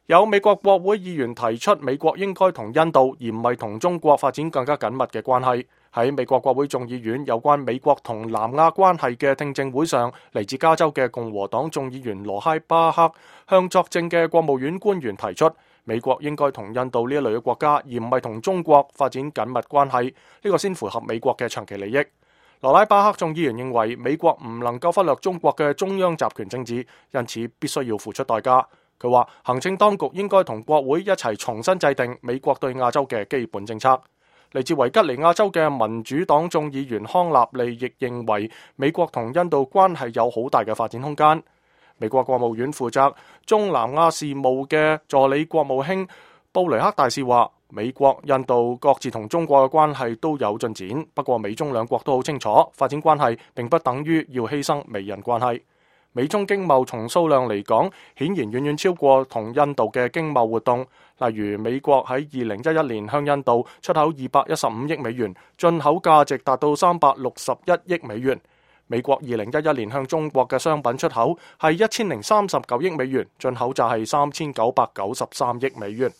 有美國國會議員提出，美國應該同印度而唔係同中國發展更加緊密嘅關係。喺美國國會眾議院有關美國同南亞關係嘅聽證會上，嚟自加州嘅共和黨眾議員羅哈巴克向作證嘅國務院官員提出，美國應該同印度呢一類嘅國家，而唔係同中國發展緊密關係，呢個先符合美國嘅長期利益。羅拉巴克眾議員認為，美國唔能夠忽略中國嘅中央集權政治，因此必須要付出代價。佢話，行政當局應該同國會一齊重新制定美國對亞洲嘅基本政策。嚟自維吉尼亞州嘅民主黨眾議員康納利亦認為，美國同印度關係有好大嘅發展空間。美國國務院負責中南亞事務嘅助理國務卿布雷克大使話，美國、印度各自同中國嘅關係都有進展，不過美中兩國都好清楚，發展關係並不等於要犧牲美印關係。美中經貿從數量嚟講，顯然遠遠超過同印度嘅經貿活動。例如，美國喺2011年向印度出口215億美元，進口價值達到361億美元。美國2011年向中國嘅商品出口係1039億美元，進口就係3993億美元。